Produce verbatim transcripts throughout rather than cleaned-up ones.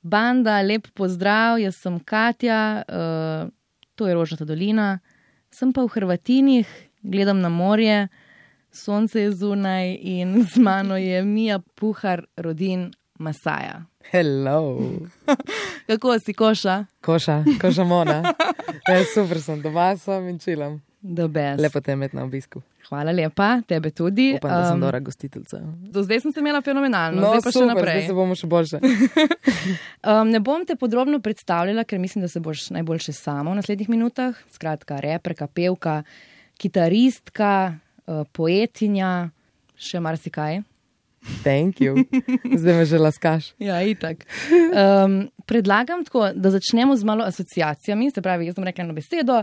Banda, lep pozdrav, jaz sem Katja, uh, to je Rožnata dolina, sem pa v Hrvatinih, gledam na morje, sonce je zunaj in z mano je Mija Puhar, rodin Masaja. Hello. Kako si, Koša? Koša, Koša Mona. E, super sem, doma sem in čilam. Lepo te imeti na obisku. Hvala lepa, tebe tudi. Upam, da sem dobra gostiteljica. Do zdaj sem se imela fenomenalno, no, zdaj pa super, še naprej. Zdaj se bomo še boljše. um, ne bom te podrobno predstavljala, ker mislim, da se boš najboljše sama v naslednjih minutah. Skratka, reperka, pevka, kitaristka, uh, poetinja, še marsikaj. Thank you. Zdaj me že laskaš. Ja, itak. Um, predlagam tako, da začnemo z malo asociacijami, se pravi, jaz bom rekla eno besedo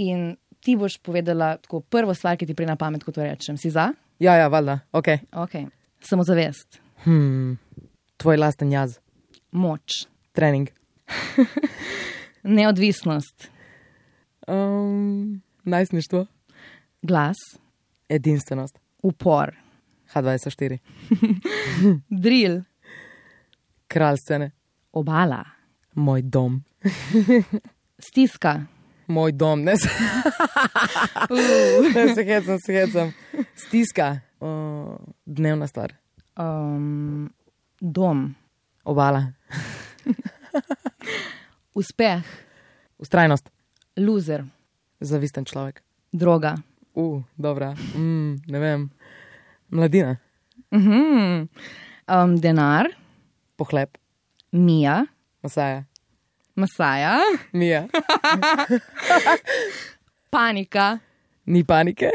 in ti boš povedala tako prvo stvar, ki ti pride na pamet, ko to rečem. Si za? Ja, ja, valjda. Ok. Ok. Samozavest. Hmm. Tvoj lasten jaz. Moč. Trening. Neodvisnost. Um, najstništvo. Glas. Edinstvenost. Upor. H dvajset štiri. Drill. Kralj scene. Obala. Moj dom. Stiska. Moj dom, ne se. Uh. Ne se hecam, se hecam. Stiska. Uh, dnevna stvar. Um, dom. Obala. Uspeh. Ustrajnost. Loser. Zavisten človek. Droga. Uh, dobra. Mm, ne vem. Mladina. Uh-huh. Um, denar. Pohlep. Mija. Masaja. Masaja. Mija. Panika. Ni panike.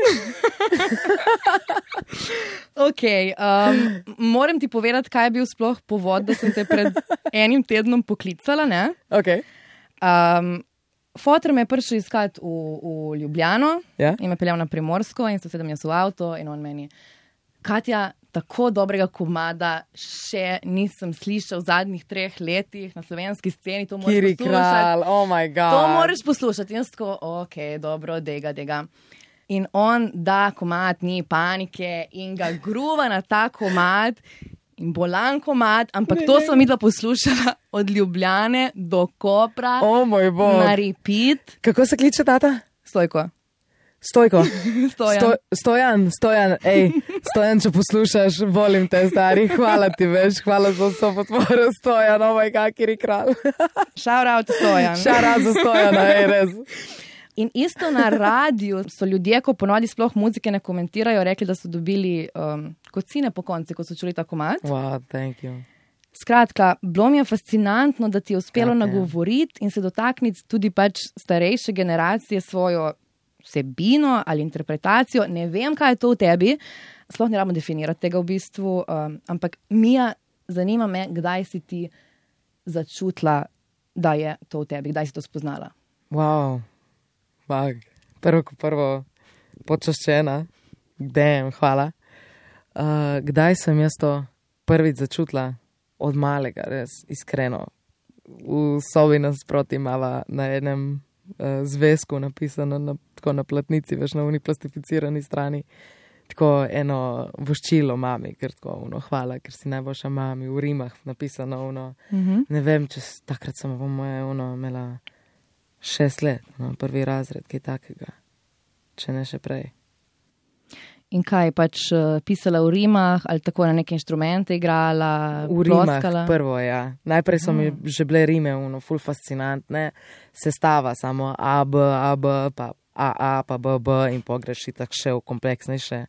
Ok, um, moram ti povedati, kaj je bil sploh povod, da sem te pred enim tednom poklicala, ne? Ok. Um, Foter me je prišel iskati v, v Ljubljano ja? in me peljal na Primorsko in so sedem jaz v avto in on meni, Katja, tako dobrega komada še nisem slišal v zadnjih treh letih na slovenski sceni, to moraš Kiri poslušati. Kralj, oh my god. To moraš poslušati. In jaz tako, ok, dobro, dega, dega. In on da komad, ni panike in ga gruva na ta komad in bolan komad, ampak ne, to sem midva poslušala od Ljubljane do Kopra. Oh moj bog. Na repeat. Kako se kliče tata? Stojko. Stojko. Stojan. Sto, stojan, stojan, ej, stojan, če poslušaš, volim te, stari, hvala ti veš, hvala za vso podporo, stojan, oh my god, Kiri Kralj. Shout out stojan. Shout out za stojana, ej, res. In isto na radiju so ljudje, ko ponovadi sploh muzike ne komentirajo, rekli, da so dobili um, kocine po konci, ko so čuli ta komad. Wow, thank you. Skratka, bilo mi je fascinantno, da ti je uspelo okay. nagovoriti in se dotakniti tudi pač starejše generacije svojo vsebino ali interpretacijo. Ne vem, kaj je to v tebi, sploh ne rabimo definirati tega v bistvu, um, ampak Mija, zanima me, kdaj si ti začutila, da je to v tebi, kdaj si to spoznala. Wow, bag, prvo ko prvo počaščena, damn, hvala. Uh, kdaj sem jaz to prvič začutila? Od malega, res, iskreno. V sobi nasproti imava na enem zvezku napisano na, tako na platnici, veš, na uni plastificirani strani, tako eno voščilo mami, ker tako uno, hvala, ker si najboljša mami, v rimah napisano uno, mm-hmm. ne vem, če takrat sem po moje uno imela šest let, no, prvi razred, kaj takega, če ne še prej. In kaj, pač uh, pisala v rimah ali tako na neke inštrumente igrala? V rimah prvo, ja. Najprej so mi mm. že bile rime, uno, ful fascinantne, sestava samo A, B, A, B, pa A, A, pa B, B in pogreš itak še v kompleksnejše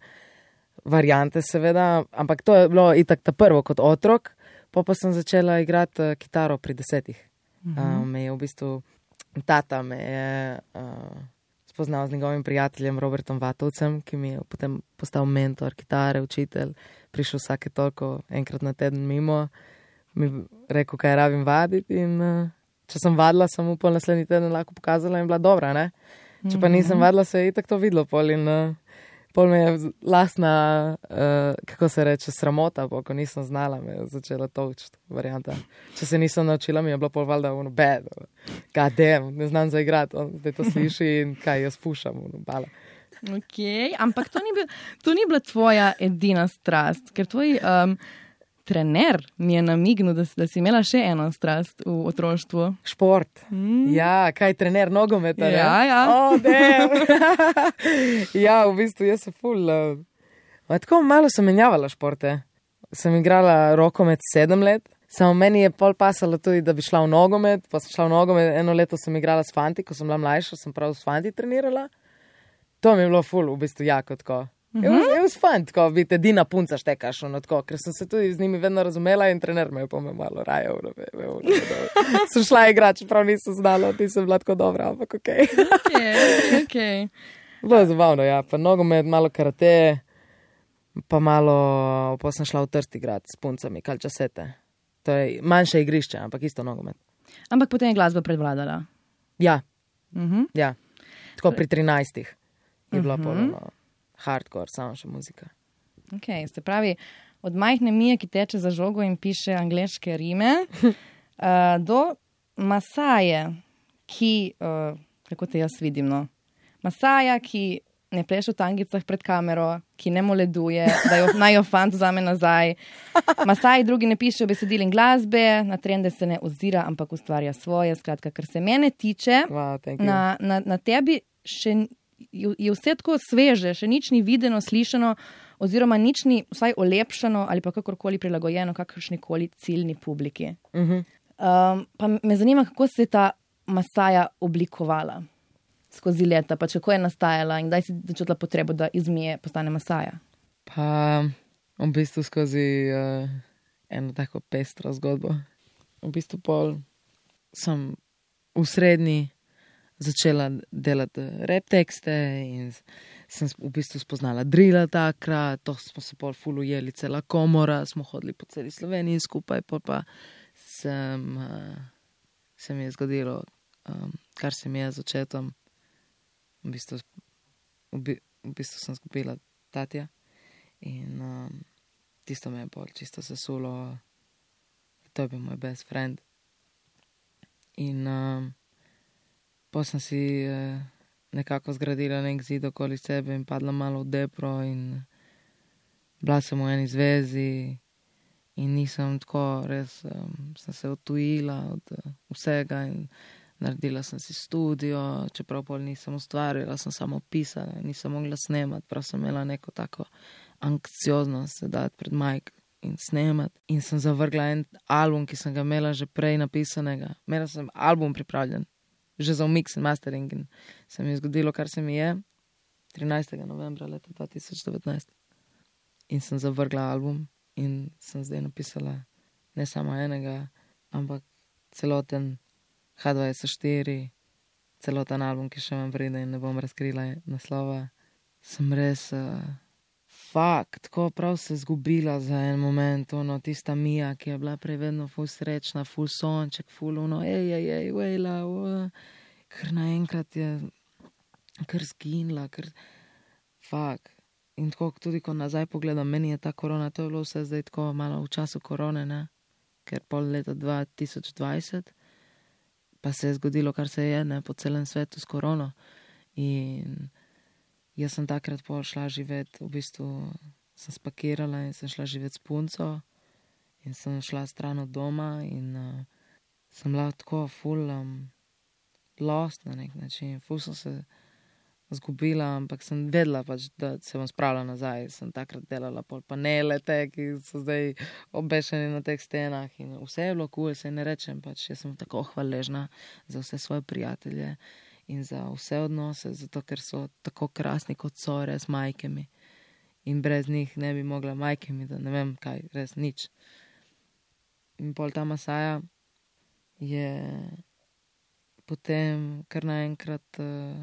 variante seveda, ampak to je bilo itak ta prvo kot otrok, pa pa sem začela igrati uh, kitaro pri desetih. Mm-hmm. Uh, me je v bistvu, tata me je... Uh, spoznal z njegovim prijateljem Robertom Vatovcem, ki mi je potem postal mentor, kitare, učitelj, prišel vsake toliko enkrat na teden mimo, mi rekel, kaj rabim vaditi in uh, če sem vadila, sem upal naslednji teden lahko pokazala in bila dobra, ne? Če pa nisem vadila, se je itak to videlo pol in uh, pol me je lastna, uh, kako se reče, sramota, po, ko nisem znala, me je začela tolčiti varianta. Če se nisem naučila, mi je bilo pol valjda ono bad, god damn, ne znam zaigrati, on zdaj to sliši in kaj jaz pušam, ono bala. Ok, ampak to ni, bil, to ni bila tvoja edina strast, ker tvoji um, trener mi je namignil, da, da si imela še eno strast v otroštvu. Šport. Mm. Ja, kaj trener nogometa, ne? Ja, ja. Oh, ja, v bistvu jaz sem ful. Uh, tako malo sem menjavala športe. Sem igrala rokomet sedem let. Samo meni je pol pasalo tudi, da bi šla v nogomet. Pa sem šla v nogomet, eno leto sem igrala s fanti, ko sem bila mlajša, sem prav s fanti trenirala. To mi je bilo ful, v bistvu jako tako. Je bil fajn, tako biti edina punca štekaš, ono tako, ker sem se tudi z njimi vedno razumela in trener me je pa me malo rajal. Sem šla igrati, čeprav nisem znala, ti sem bila tako dobra, ampak okej. Okay, okay. Bilo je zabavno, ja, pa nogomet, malo karate, pa malo, pa sem šla v Trst igrati s puncami, kalčasete. To je manjše igrišče, ampak isto nogomet. Ampak potem je glasba predvladala. Ja, uh-huh. ja, tako pri trinajstih je bila uh-huh. polno. Hardcore, samo še muzika. Ok, se pravi, od majhne Mije, ki teče za žogo in piše angleške rime, uh, do Masaje, ki, uh, kako te jaz vidim, no? Masaja, ki ne pleše v tangicah pred kamero, ki ne moleduje, da jo naj jo fant vzame nazaj. Masaji drugi ne pišejo besedil in glasbe, na trende se ne ozira, ampak ustvarja svoje. Skratka, kar se mene tiče, wow, na, na, na tebi še je vse tako sveže, še nič ni videno, slišano, oziroma nič ni vsaj olepšano ali pa kakorkoli prilagojeno kakršnikoli ciljni publiki. Uh-huh. Um, pa me zanima, kako se je ta Masaja oblikovala skozi leta, pa kako je nastajala in kdaj si začutila potrebo, da iz Mije postane Masaja? Pa v bistvu skozi uh, eno tako pestro zgodbo. V bistvu pol sem v srednji začela delati rap tekste in sem v bistvu spoznala drila takrat, to smo se pol ful ujeli, cela komora, smo hodili po celi Sloveniji skupaj, pol pa sem, uh, se mi je zgodilo, um, kar se mi je z očetom, v bistvu, v, bi, v bistvu sem zgubila tatja in um, tisto me je pol čisto sesulo, to je bil moj best friend in um, pa sem si eh, nekako zgradila nek zid okoli sebe in padla malo v depro in bila sem v eni zvezi in nisem tako, res um, sem se odtujila od uh, vsega in naredila sem si studio, čeprav pol nisem ustvarjala, sem samo pisala, nisem mogla snemati, prav sem imela neko tako anksioznost se dati pred majk in snemati in sem zavrgla en album, ki sem ga imela že prej napisanega. Imela sem album pripravljen. Že za mix in mastering in se mi je zgodilo, kar se mi je trinajstega novembra leta dva tisoč devetnajst. In sem zavrgla album in sem zdaj napisala ne samo enega, ampak celoten H dva S štiri, celoten album, ki še imam vreden in ne bom razkrila naslova. Sem res uh, fuck, tako prav se zgubila za en moment, ono, tista Mija, ki je bila prej vedno ful srečna, ful sonček, ful ono, ej, ej, ej, vejla, ker naenkrat je kar zginila, ker fuck. In tako tudi, ko nazaj pogledam, meni je ta korona, to je bilo vse zdaj tako malo v času korone, ne, ker pol leta dva tisoč dvajset, pa se je zgodilo, kar se je, ne, po celem svetu s korono. In jaz sem takrat pol šla živeti, v bistvu sem spakirala in sem šla živeti s punco in sem šla stran od doma in uh, sem bila tako full um, lost na nek način, full sem se zgubila, ampak sem vedela pač, da se bom spravila nazaj. Sem takrat delala pol panele te, ki so zdaj obešeni na teh stenah in vse je bilo cool, se ne rečem, pač jaz sem tako hvaležna za vse svoje prijatelje in za vse odnose, zato ker so tako krasni, kot so res majkami. In brez njih ne bi mogla majkami, da ne vem kaj, res nič. In pol ta Masaja je potem kar naenkrat uh,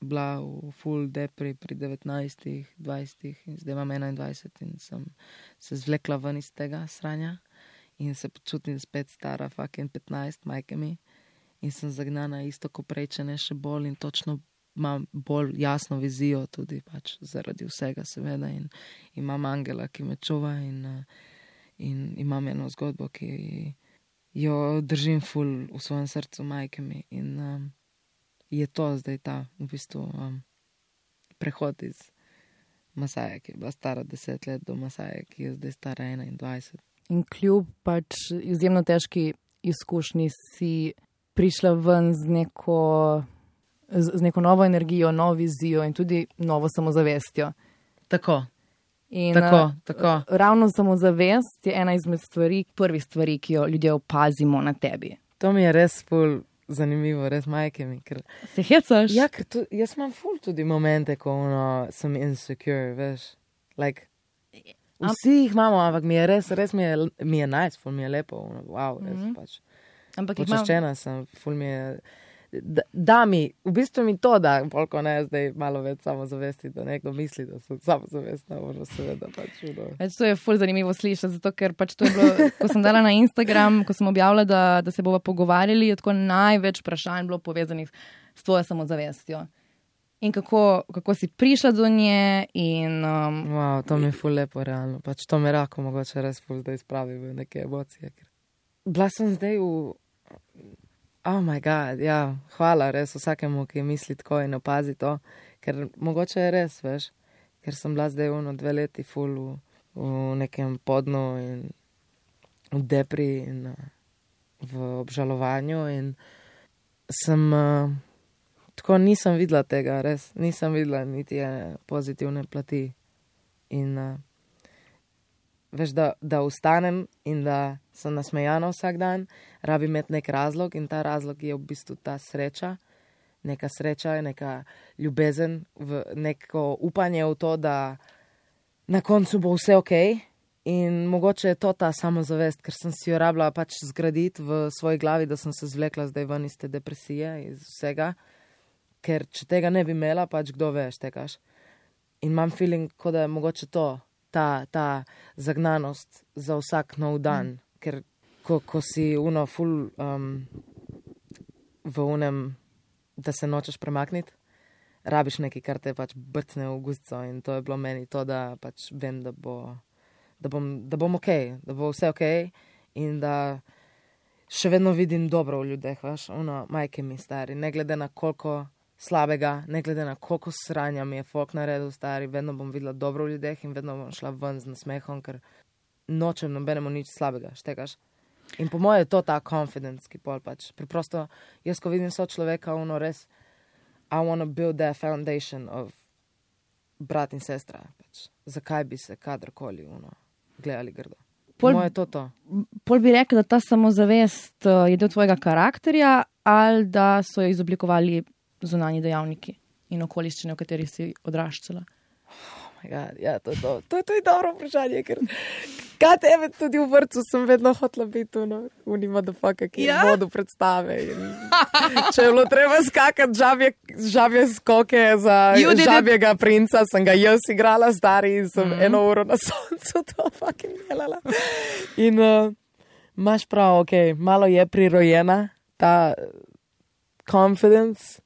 bila v full depri pri devetnajstih, dvajsetih in zdaj imam enaindvajset in sem se zvlekla ven iz tega sranja in se počutim spet stara fucking petnajst majkami. In sem zagnana isto ko prej, če ne še bolj in točno imam bolj jasno vizijo tudi pač zaradi vsega seveda in imam angela, ki me čuva in, in imam eno zgodbo, ki jo držim ful v svojem srcu majkami in um, je to zdaj ta v bistvu um, prehod iz Masaje, ki je bila stara deset let do Masaje, ki je zdaj stara enaindvajset. In kljub pač izjemno težki izkušnji si prišla ven z neko, z, z neko novo energijo, novo vizijo in tudi novo samozavestjo. Tako. In tako, tako. Ravno samozavest je ena izmed stvari, prvih stvari, ki jo ljudje opazimo na tebi. To mi je res ful zanimivo, res majke mi. Ker... Se hecaš? Ja, ker tu, jaz imam ful tudi momente, ko ono, sem insecure, veš. Like, vsi jih imamo, ampak mi je res, res mi je, mi je nice, ful mi je lepo, ono, wow, res mm-hmm. pač. Ampak počaščena imam... sem, ful mi je... Da, da mi, v bistvu mi to da, polko ne, zdaj malo več samozavesti, da nekdo misli, da sem samozavestna, možno seveda pač udo. Več to je ful zanimivo slišati, zato ker pač to je bilo, ko sem dala na Instagram, ko sem objavila, da, da se bova pogovarjali, je tako največ vprašanj bilo povezanih s tvojo samozavestjo. In kako, kako si prišla do nje in... Um, wow, to mi je ful lepo, realno. Pač to me rako mogoče res ful zdaj spravi v neke emocije. Ker... Bila sem zdaj v... Oh my god, ja, hvala res vsakemu, ki misli tako in opazi to, ker mogoče je res, veš, ker sem bila zdaj ono dve leti ful v, v nekem podnu in v depri in uh, v obžalovanju in sem, uh, tako nisem videla tega, res, nisem videla niti ene pozitivne plati in uh, veš, da, da ustanem in da sem nasmejana vsak dan, rabi imeti nek razlog in ta razlog je v bistvu ta sreča, neka sreča, neka ljubezen, v neko upanje v to, da na koncu bo vse okej in mogoče je to ta samozavest, ker sem si jo rabila pač zgraditi v svoji glavi, da sem se zvlekla zdaj ven iz te depresije, iz vsega, ker če tega ne bi imela, pač kdo veš, tekaš. In imam feeling, kot da je mogoče to, Ta, ta zagnanost za vsak nov dan, mm. ker ko, ko si uno ful um, v unem, da se nočeš premakniti, rabiš nekaj, kar te pač brcne v guzco in to je bilo meni to, da pač vem, da bo, da bom, da bom okej, da bo vse okej in da še vedno vidim dobro v ljudeh, veš, uno, majke mi stari, ne glede na koliko slabega, ne glede na koliko sranja mi je folk naredil stari, vedno bom videla dobro v ljudeh in vedno bom šla ven z nasmehom, ker nočem nobenemu nič slabega, štekaš. In po moje je to ta confidence, ki pol pač. Preprosto, jaz ko vidim so človeka, ono res, I wanna build that foundation of brat in sestra, pač. Zakaj bi se kadarkoli, ono, gledali grdo. Po moje je to to. Pol bi rekel, da ta samozavest je del tvojega karakterja ali da so jo izoblikovali zunanji dejavniki in okoliščine, v katerih si odraščala? Oh my god, ja, to je to. To je tudi dobro vprašanje, ker kaj tebe tudi v vrtu sem vedno hotela biti uno, uni motherfucker, ki ja? je vodu predstave. In če je bilo treba skakati žabje, žabje skoke za žabjega princa, sem ga jaz igrala stari in sem mm-hmm. eno uro na soncu to fucking delala. In uh, imaš prav, okej, okay, malo je prirojena ta confidence,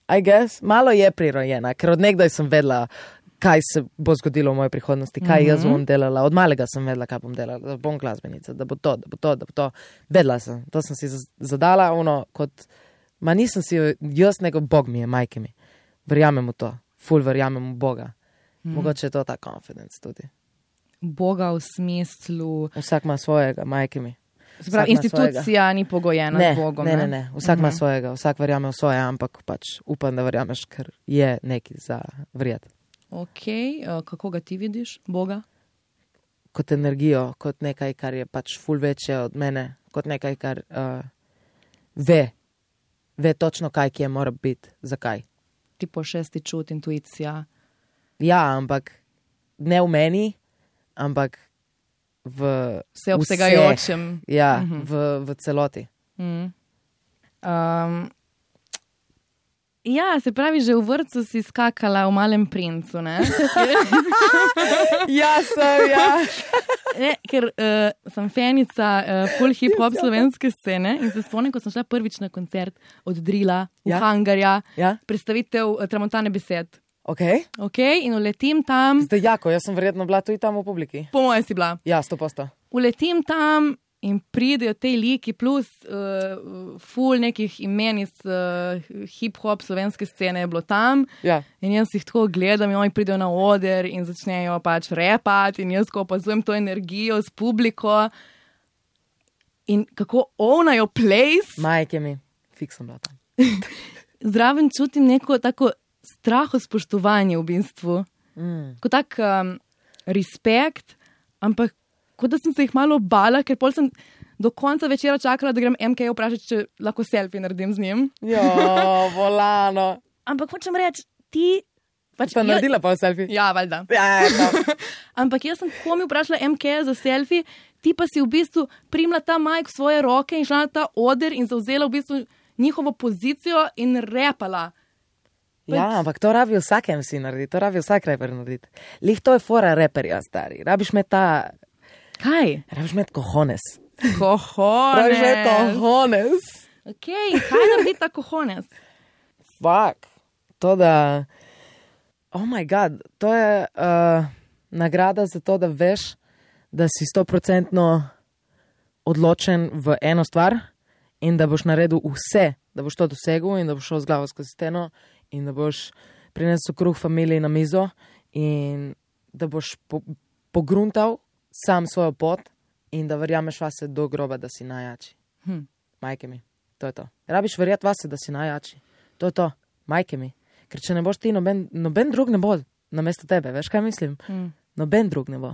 I guess, malo je prirojena, ker od nekdaj sem vedela, kaj se bo zgodilo v moji prihodnosti, kaj mm-hmm. jaz bom delala. Od malega sem vedela, kaj bom delala, da bom glasbenica, da bo to, da bo to, da bo to. Vedela sem, to sem si zadala, ono, kot, ma nisem si, jaz nego Bog mi je, majke mi. Verjamem v to, ful verjamem v Boga. Mm-hmm. Mogoče je to ta confidence tudi. Boga v smislu... Vsak ima svojega, majke mi. Pravi, institucija svojega. Ni pogojena ne, z Bogom. Ne, ne, ne, vsak ima uh-huh. svojega, vsak verjame v svoje, ampak pač upam, da verjameš, ker je neki za verjeti. Ok, uh, kako ga ti vidiš, Boga? Kot energijo, kot nekaj, kar je pač ful večje od mene, kot nekaj, kar uh, ve, ve točno, kaj kje mora biti, zakaj. Tipo šesti čut, intuicija. Ja, ampak ne v meni, ampak v vse obsegajočem. Ja, mm-hmm. v, v celoti. Mm. Um, ja, se pravi, že v vrtcu si skakala v Malem princu, ne? ja, sem, ja. ne, ker uh, sem fanica uh, full hip-hop slovenske scene in se spomnim, ko sem šla prvič na koncert od Drila v ja? Hangarja, ja? predstavitev uh, Tramontane besed. Ok. Ok, in uletim tam. Zdaj, jako, jaz sem verjetno bila tudi tam v publiki. Po moje si bila. Ja, sto posto. Uletim tam in pridejo te liki plus uh, ful nekih imen iz uh, hip-hop slovenske scene je bilo tam. Ja. In jaz jih tako gledam in oni pridejo na oder in začnejo pač repati in jaz ko opazujem to energijo s publiko in kako ownajo place. Majke mi, fiks sem bila tam. Zraven čutim neko tako straho spoštovanje v bistvu. Mm. Ko tak um, respekt, ampak kot da sem se jih malo bala, ker pol sem do konca večera čakala, da grem M K vprašati, če lahko selfie naredim z njim. Jo, volano. Ampak hočem reči, ti... Pač Pa naredila pa selfie? Ja, valjda. Ja, ja, Ampak jaz sem komi vprašala M K za selfie, ti pa si v bistvu primla ta majk v svoje roke in šla na ta oder in zauzela v bistvu njihovo pozicijo in repala. Ja, ampak to rabi vsak M C narediti, to rabi vsak reper narediti. Lih to je fora reperja, stari. Rabiš me ta... Kaj? Rabiš me kohones. Kohones. Rabiš me kohones. Ok, kaj naredi ta kohones? Fuck. To da... Oh my god, to je uh, nagrada za to, da veš, da si stoprocentno odločen v eno stvar in da boš naredil vse, da boš to dosegel in da boš šel z glavo skozi steno in da boš prinesel kruh familiji na mizo in da boš po, pogruntal sam svojo pot in da verjameš vase do groba, da si najjači. Hm. Majke mi, to je to. Rabiš verjeti vase, da si najjači. To je to, majke mi. Ker če ne boš ti, noben, noben drug ne bo namesto tebe, veš kaj mislim? Hm. Noben drug ne bo.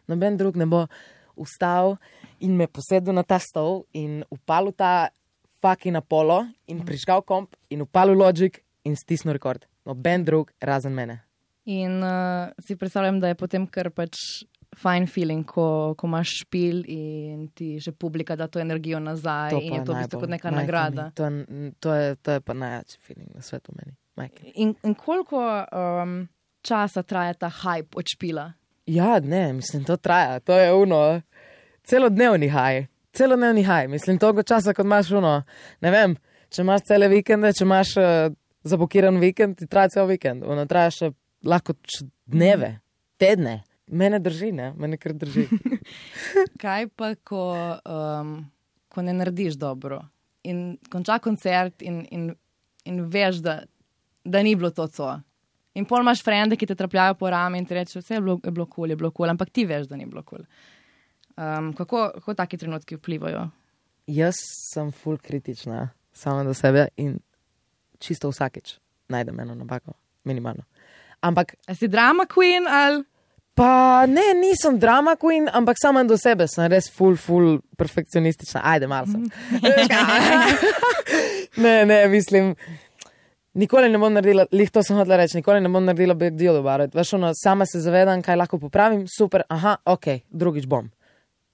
Noben drug ne bo vstal in me posedel na ta stol in upalil ta fucking Apollo in prižgal komp in upalil Logic in stisnil rekord. Noben drug razen mene. In uh, si predstavljam, da je potem kar pač fine feeling, ko, ko imaš špil in ti že publika da to energijo nazaj To in pa je to v najbolj, bistvu kot neka majke nagrada. mi, To, je- to, je, to je pa najjači feeling na svetu meni. Majke. In, in koliko um, časa traja ta hype od špila? Ja, ne, mislim, to traja. To je uno, celodnevni haj. Celodnevni haj. Mislim, toliko časa, kot imaš uno. Ne vem, če imaš cele vikende, če imaš uh, zabokiran vikend, ti traja cel vikend. Ono traja še lahko č- dneve, tedne. Mene drži, ne? Mene kar drži. Kaj pa, ko, um, ko ne narediš dobro in konča koncert in, in, in veš, da, da ni bilo to co. In pol imaš frende, ki te trapljajo po rami in ti rečejo, vse je bilo, je bilo cool, je bilo cool, ampak ti veš, da ni bilo cool. Um, kako, kako taki trenutki vplivajo? Jaz sem ful kritična sama do sebe in čisto vsakič najdem eno napako, minimalno. Ampak A si drama queen ali? pa ne, nisem drama queen, ampak sama do sebe sem res ful, ful perfekcionistična. Ajde, malo sem. ne, ne, mislim, nikoli ne bom naredila, lih to sem hotela reči, nikoli ne bom naredila big deal about it. Veš, ono, sama se zavedam, kaj lahko popravim, super, aha, ok, drugič bom.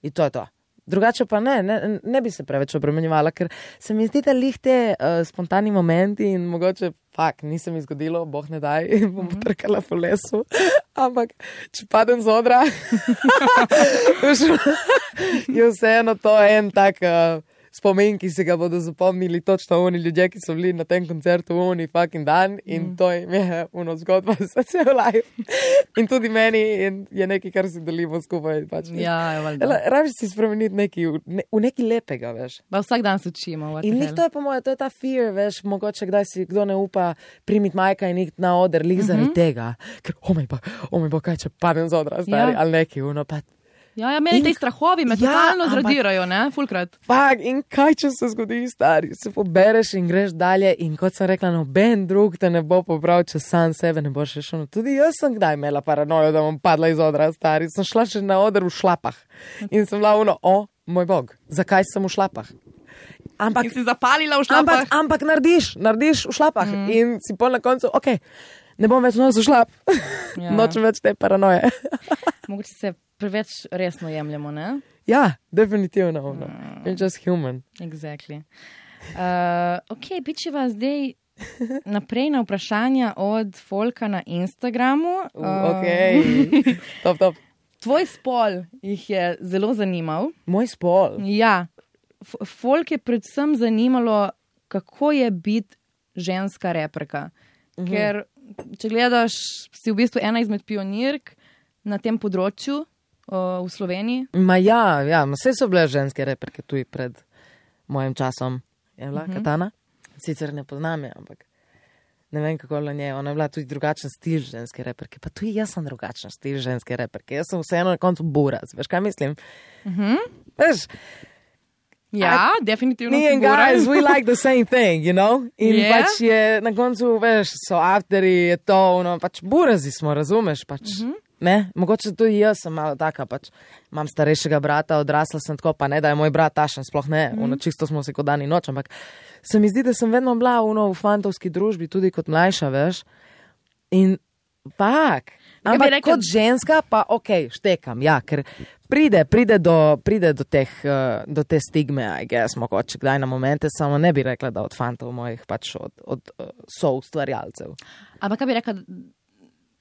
In to je to. Drugače pa ne, ne, ne bi se preveč obremenjevala, ker se mi zdi, da lih te uh, spontani momenti in mogoče, fak, nisem izgodilo, boh ne daj, in bom mm-hmm. trkala po lesu, ampak če padem z odra, je vseeno to en tak uh, spomin, ki si ga bodo zapomnili točno oni ljudje, ki so bili na tem koncertu oni fucking dan in mm. to jim je uno zgodba za cel life. In tudi meni in je nekaj, kar si delimo skupaj. Pač, Ja, je valjda. Rabiš si spremeniti nekaj, v, ne, v nekaj lepega, veš. Pa vsak dan se učimo. what In the njih hell. to je po moje, to je ta fear, veš, mogoče kdaj si kdo ne upa primiti majka in iti na oder, lih zaradi Mhm. tega. Ker, oh moj bog, oh moj bog, kaj če padem z odra, stari, Ja. ali neki, uno, pa Ja, ja, meni In- te strahovi me Ja, totalno ampak- zradirajo, ne, fulkrat. Fak, in kaj če se zgodi, stari, se pobereš in greš dalje in kot sem rekla, noben drug te ne bo pobral, če sam sebe ne boš rešil. Tudi jaz sem kdaj imela paranojo, da bom padla iz odra, stari. Sem šla še na oder v šlapah in sem bila uno, o, moj bog, zakaj sem v šlapah? Ampak, In si zapalila v ampak, šlapah. ampak narediš, narediš v šlapah mm. in si pol na koncu, ok, ne bom več nosil šlap, Ja. nočem več te paranoje. Mogoče se preveč resno jemljemo, ne? Ja, definitivno, ono. I'm just human. Exactly. Uh, ok, pičiva zdaj naprej na vprašanja od folka na Instagramu. Uh, ok, top, top. Tvoj spol jih je zelo zanimal. Moj spol. Ja, F folk je predvsem zanimalo, kako je biti ženska reperka. Mhm. Ker, če gledaš, si v bistvu ena izmed pionirk na tem področju, uh, v Sloveniji? Ma ja, ja, vse so bile ženske reperke tudi pred mojim časom. Je bila uh -huh. Katana? Sicer ne poznam je, ampak ne vem, kako je nje. Ona je bila tudi drugačen stil ženske reperke. Pa tudi jaz sem drugačen stil ženske reperke. Jaz sem vseeno na koncu buraz. Veš, kaj mislim? Uh -huh. Veš, ja, I, definitivno. Me and guys, we like the same thing, you know? In yeah. pač je na koncu, veš, so afteri, je to, no, pač burazi smo, razumeš? Pač, uh -huh. Ne, mogoče tudi jaz sem malo taka, pač imam starejšega brata, odrasla sem tako, pa ne, da je moj brat tašen, sploh ne, mm. ono čisto smo si kot dan in noč, ampak se mi zdi, da sem vedno bila ono, v fantovski družbi, tudi kot mlajša, veš, in pak, ampak rekla, kot ženska pa ok, štekam, ja, ker pride, pride do, pride do teh, uh, do te stigme, I guess, mogoče kdaj na momente, samo ne bi rekla, da od fantov mojih, pač od, od uh, soustvarjalcev. Ampak kaj bi rekla,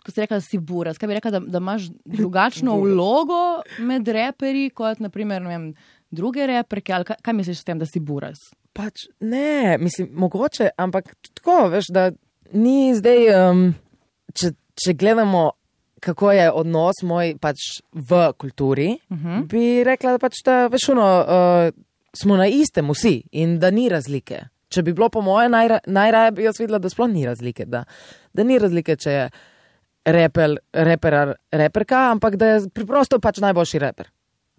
ko si rekla, da si buraz, kaj bi rekla, da, da imaš drugačno vlogo med reperi, kot naprimer, ne vem, druge reperke, ali kaj, kaj misliš s tem, da si buraz? Pač ne, mislim, mogoče, ampak tako, veš, da ni zdaj, um, če, če gledamo, kako je odnos moj pač v kulturi, uh -huh. bi rekla, da pač, da veš, ono, uh, smo na istem vsi in da ni razlike. Če bi bilo po moje, najra, najraje bi jaz videla, da sploh ni razlike, da, da ni razlike, če je Reper, reper, reperka, ampak da je preprosto pač najboljši reper.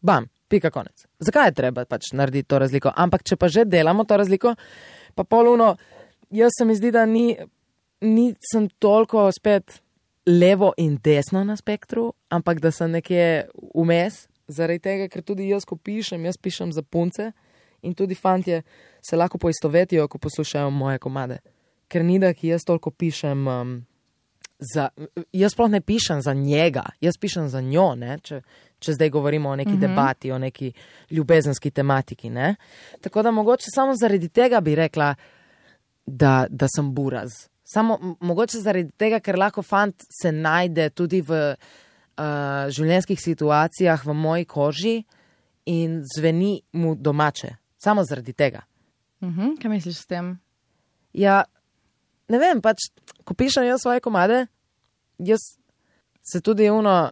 Bam, pika konec. Zakaj je treba pač narediti to razliko? Ampak če pa že delamo to razliko, pa poluno, jaz se mi zdi, da ni, nisem toliko spet levo in desno na spektru, ampak da sem nekje vmes, zaradi tega, ker tudi jaz, ko pišem, jaz pišem za punce in tudi fantje se lahko poistovetijo, ko poslušajo moje komade. Ker ni da, ki jaz toliko pišem... Um, Za, jaz sploh ne pišem za njega, jaz pišem za njo, ne? Če, če zdaj govorimo o neki mm-hmm. debati, o neki ljubezenski tematiki. Ne? Tako da mogoče samo zaradi tega bi rekla, da, da sem buraz. Samo mogoče zaradi tega, ker lahko fant se najde tudi v uh, življenjskih situacijah v moji koži in zveni mu domače. Samo zaradi tega. Mm-hmm. Kaj misliš s tem? Ja, ne vem, pač, ko pišem jaz svoje komade, jaz se tudi uno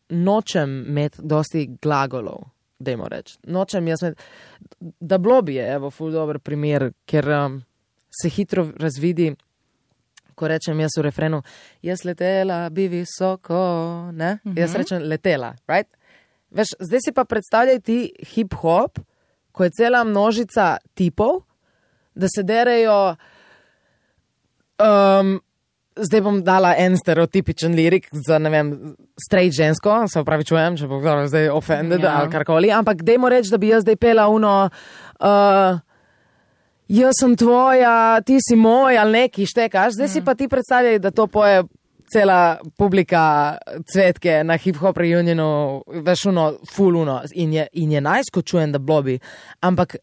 nočem imeti dosti glagolov, dajmo reči. Nočem jaz imeti, da blobi je, evo, ful dober primer, ker um, se hitro razvidi, ko rečem jaz v refrenu, jaz letela bi visoko, ne? Mm-hmm. Jaz rečem letela, right? Veš, zdaj si pa predstavljaj ti hip-hop, ko je cela množica tipov, da se derejo. Um, zdaj bom dala en stereotipičen lirik za, ne vem, straight žensko, se opravičujem, če bo kdo zdaj offended ja. ali karkoli, ampak dajmo reči, da bi jaz zdaj pela uno, uh, jaz sem tvoja, ti si moj, ali neki štekaš, zdaj mm. si pa ti predstavljaj, da to poje cela publika cvetke na hip-hop reunionu, veš uno, full uno, in je, in je najskočujem, da blobi, ampak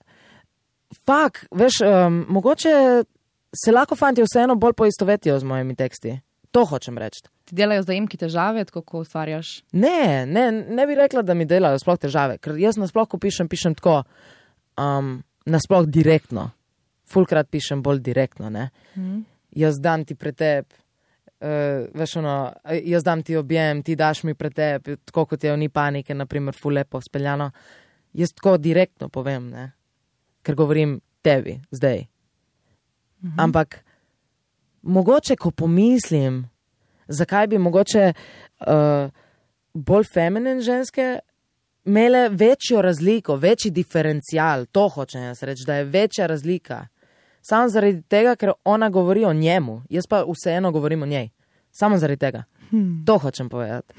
fak, veš, um, mogoče se lahko fanti vseeno bolj poistovetijo z mojimi teksti. To hočem reči. Ti delajo zdaj imki težave, tako ko ustvarjaš? Ne, ne, ne bi rekla, da mi delajo sploh težave, ker jaz nasploh, ko pišem, pišem tako, um, nasploh direktno. Fulkrat pišem bolj direktno, ne. Mm. Jaz dam ti pretep, uh, veš ono, jaz dam ti objem, ti daš mi pretep, tako kot je v Ni panike, naprimer, ful lepo speljano. Jaz tako direktno povem, ne, ker govorim tebi, zdaj. Mm-hmm. Ampak mogoče, ko pomislim, zakaj bi mogoče uh, bolj feminin ženske imele večjo razliko, večji diferencial, to hočem jaz reči, da je večja razlika. Samo zaradi tega, ker ona govori o njemu, jaz pa vseeno govorim o njej. Samo zaradi tega. Hmm. To hočem povedati.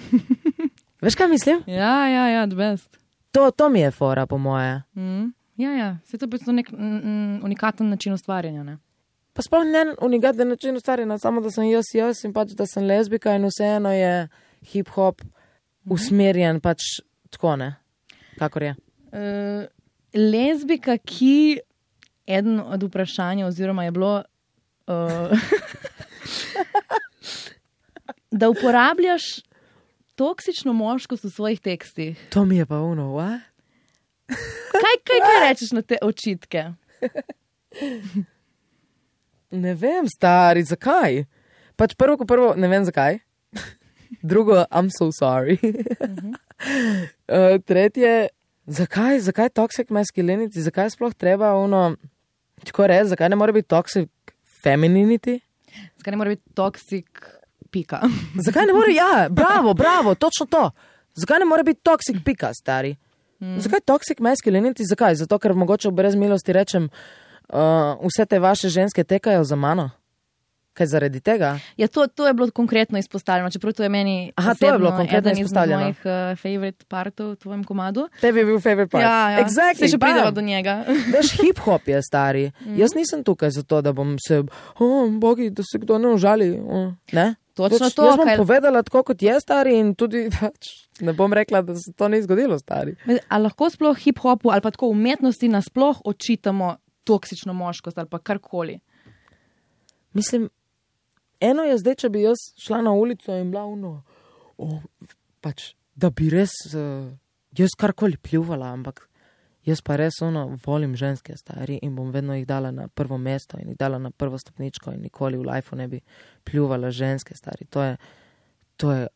Veš, kaj mislim? Ja, ja, ja, the best. To, to mi je fora, po moje. Mm. Ja, ja, se to je nek mm, unikaten način ustvarjanja, ne? Pa sploh ne unikaten način ustvarjanja, samo da sem jaz jaz in pač, da sem lezbika in vseeno je hip-hop mm-hmm. usmerjen pač tako, ne? Kakor je? Uh, lezbika, ki eden od vprašanj oziroma je bilo uh, da uporabljaš toksično moškost v svojih tekstih. To mi je pa ono, what? Kaj, kaj, kaj rečeš na te očitke? Ne vem, stari, zakaj? Pač prvo, ko prvo, ne vem zakaj. Drugo, I'm so sorry. Uh-huh. Uh, tretje, zakaj, zakaj toxic masculinity, zakaj sploh treba ono, tako reči, zakaj ne more biti toxic femininity? Zakaj ne more biti toxic pika? Zakaj ne more, ja, bravo, bravo, točno to. Zakaj ne more biti toxic pika, stari? Hmm. Zakaj toxic masculinity, zakaj? Zato, ker mogoče brez milosti rečem, uh, vse te vaše ženske tekajo za mano. Kaj zaradi tega? Ja, to, to je bilo konkretno izpostavljeno, čeprav to je meni Aha, to je bilo konkretno izpostavljeno. Eden izmed mojih uh, favorite partov v tvojem komadu. Tebi je bil favorite part. Ja, ja. Exactly, se še prideva do njega. Veš, hip-hop je stari. Mm. Jaz nisem tukaj zato, da bom se, oh, bogi, da se kdo ne užali. Oh. Ne? Točno Toč, to. Jaz bom kaj... povedala tako, kot je stari in tudi pač, ne bom rekla, da se to ni zgodilo stari. A lahko sploh hip-hopu ali pa tako umetnosti nasploh očitamo toksično moškost ali pa karkoli? Mislim, eno je zdaj, če bi jaz šla na ulico in bila uno, oh, pač, da bi res, uh, jaz karkoli pljuvala, ampak jaz pa res ono, volim ženske stari in bom vedno jih dala na prvo mesto in jih dala na prvo stopničko in nikoli v lifeu ne bi pljuvala ženske stari. To je, to je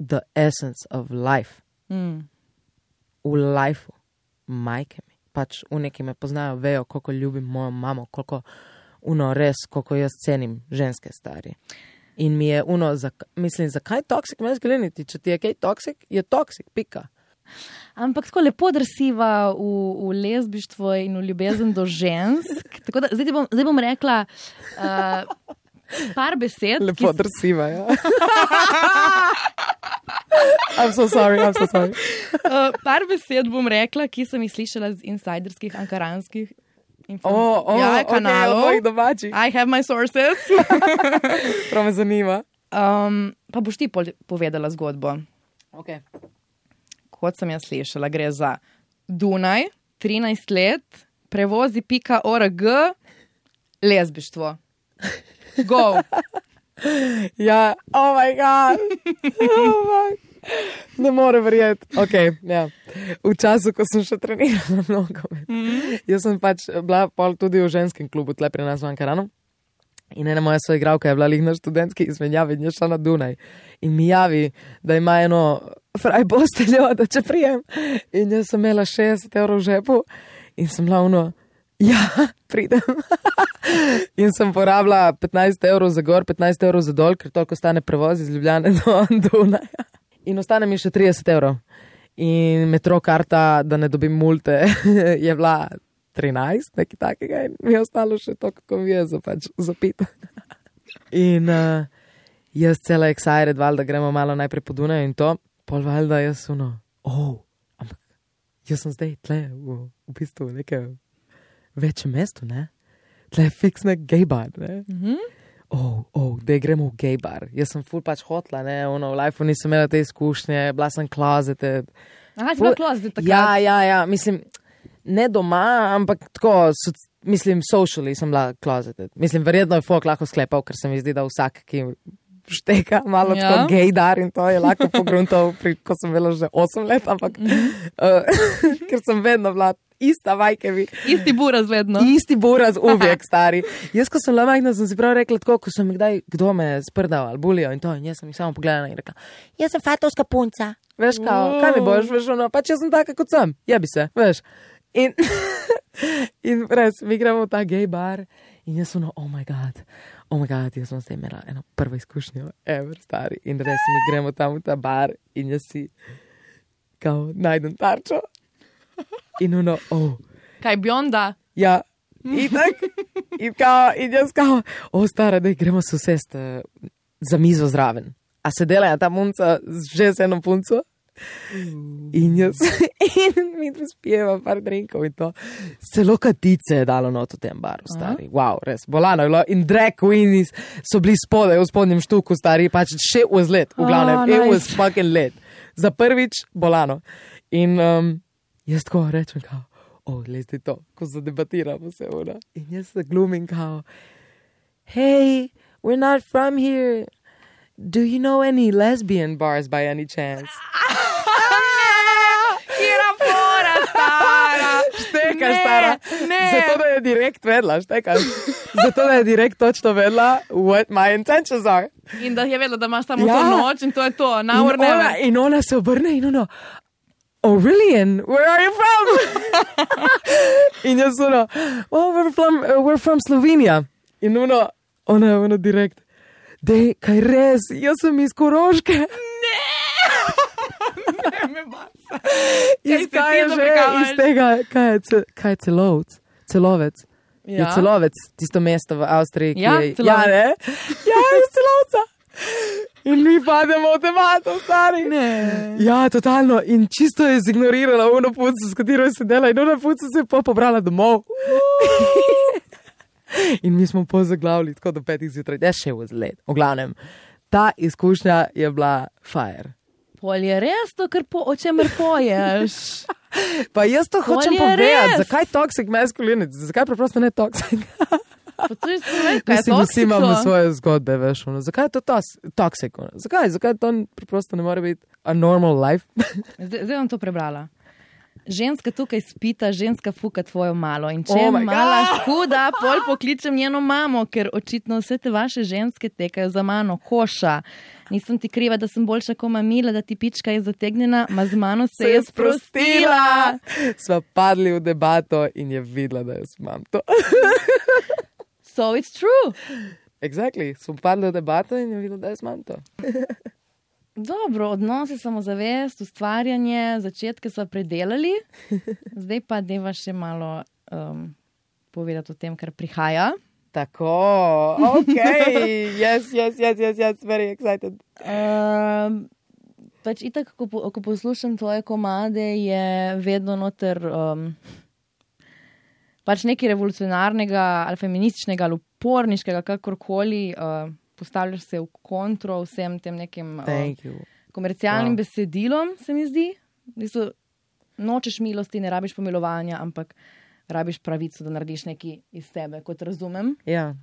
the essence of life. Mm. V lifeu, majke mi. Pač v neki me poznajo, vejo, koliko ljubim mojo mamo, koliko uno res, koliko jaz cenim ženske stari. In mi je uno, zak, mislim, zakaj toxic masculinity? Če ti je kaj toxic, je toxic, pika. Ampak tako lepo drsiva v, v lezbištvo in v ljubezen do žensk. Tako da, zdaj, bom, zdaj bom rekla uh, par besed. Lepo ki... drsiva, ja. I'm so sorry, I'm so sorry. uh, par besed bom rekla, ki sem jih slišala z insiderskih, ankaranskih Oh, oh, ja, kanalov. Okay, od domačih. I have my sources. Prav me zanima. Um, pa boš ti povedala zgodbo. Okay. Kot sem jaz slišala, gre za Dunaj, trinajst let, prevozi pika org, lezbištvo. Go! Ja, oh my god. Oh my. Ne more verjeti. Okay, ja. V času, ko sem še trenirala nogomet. Mm. Jaz sem pač bila pol tudi v ženskem klubu tle pri nas v Ankaranu. In ena moja soigralka je bila lih na študentski izmenjavi in je šla na Dunaj. In mi javi, da ima eno fraj posteljo, da če prijem. In jaz sem imela šestdeset evrov v žepu in sem bila ono, ja, pridem. In sem porabila petnajst evrov za gor, petnajst evrov za dol, ker toliko stane prevoz iz Ljubljane do Dunaja. In ostane mi še trideset evrov. In metro karta, da ne dobim multe, je bila trinajst, nekaj takega. In mi je ostalo še to, kako mi je za, pač, za pit. In uh, jaz cela excited, valjda gremo malo najprej po Dunaju in to. Pol valjda jaz ono, oh, ampak jaz sem zdaj tle v, v bistvu v nekem večjem mestu, ne? Tle je fiksne gay bar, ne? Mhm. Oh, oh, da gremo v gay bar. Jaz sem ful pač hotla, ne, ono, v lifeu nisem imela te izkušnje, bila sem closeted. Aha, si bila closeted takrat? Ja, ja, ja, mislim, ne doma, ampak tako, so, mislim, socially sem bila closeted. Mislim, verjetno je folk lahko sklepal, ker se mi zdi, da vsak, ki šteka malo ja. Tako gay dar in to je lahko pogruntal, ko sem bila že osem let, ampak mm-hmm. uh, ker sem vedno bila ista vajkevi. Isti buraz vedno. Isti buraz uvijek, stari. Jaz, ko sem bila majhna, sem si prav rekla tako, ko sem mi kdaj, kdo me sprdal ali bulijo in to, in jaz sem jih samo pogledala in rekla, jaz sem fatovska punca. Veš, kao, kaj mi boš, veš, ono, pač jaz sem taka kot sem, jebi se, veš. In, in res, mi gremo v ta gay bar in jaz sem ono, oh my god, oh my god, jaz sem zdaj imela eno prvo izkušnjo, ever, stari. In res, mi gremo tam v ta bar in jaz si, kao, najdem tarčo. In ono, oh. Kaj, bionda? Ja, in tak, in kao, in jaz kao, o, stara, daj, gremo se usest uh, za mizo zraven. A se dela ta punca že z eno punco? In jaz, in mi tu spijeva par drinkov in to. Celo katice je dalo not v tem baru, stari. Wow, res, bolano je bilo. In drag queens so bili spodaj v spodnjem štuku, stari, pač shit was lit, v glavnem, oh, nice. It was fucking lit. Za prvič, bolano. In, um, jaz tako rečem, kao, oh, lezi to, ko zadebatiramo se, ona. In jaz se glumim, kao, hey, we're not from here. Do you know any lesbian bars by any chance? Kira fora, stara. Šteka štekaš, stara. Ne. Zato, da je direkt vedla, štekaš. Zato, da je direkt točno vedla, what my intentions are. In da je vedela, da imaš samo Ja. to noč in to je to. In Now or ona, never. in ona se obrne in ono, oh really, and where are you from? In jaz ono, oh, we're from, uh, we're from Slovenija. In ono, ona je ono direkt, dej, kaj res, jaz sem iz Koroške. Ne, me basa. Iz se kaj ti je že, zaprikavaš? iz tega, kaj je, ce, kaj je celovec? Celovec. Ja. Je Celovec, tisto mesto v Avstriji, ki Ja, je... Celovec. Ja, ne? Ja, iz Celovca. In mi pademo v debato, stari. Ne. Ja, totalno. In čisto je zignorirala ono punco, s katero je sedela in ona punca se je pa pobrala domov. In mi smo pozaglavili tako do petih zjutraj. That shit was late. V glavnem, ta izkušnja je bila fire. Pol je res to, kar po, o čemer poješ. Pa jaz to Pol hočem je povedati. res. Zakaj toxic masculinity? Zakaj preprosto ne toxic? Pa to je stvar, kaj je Mislim, vsi imamo toksiko. svoje zgodbe, veš. Ono. Zakaj je to tos, toxic? Ono? Zakaj? Zakaj to preprosto ne more biti a normal life? Zdaj, zdaj vam to prebrala. Ženska tukaj spita, ženska fuka tvojo malo. In če Oh je my mala God. huda, pol pokličem njeno mamo, ker očitno vse te vaše ženske tekajo za mano. Koša. Nisem ti kriva, da sem boljša kot mamila, da ti pička je zategnjena, ma z mano se je sprostila. Sva padli v debato in je videla, da jaz imam to. So it's true. Exactly. Smo padli v debato in je videla, da jaz imam to. Dobro, odnosi, samozavest, ustvarjanje, začetke sva predelali. Zdaj pa deva še malo um, povedati o tem, kar prihaja. Tako, ok, yes, yes, yes, yes, yes, very excited. Um, pač itak, ko, po- ko poslušam tvoje komade, je vedno noter um, pač nekaj revolucionarnega ali feminističnega ali uporniškega, kakorkoli. Uh, postavljaš se v kontro vsem tem nekim uh, Thank you. komercialnim Wow. besedilom, se mi zdi. Niso, nočeš milosti, ne rabiš pomilovanja, ampak rabiš pravico, da narediš nekaj iz sebe, kot razumem. Ja,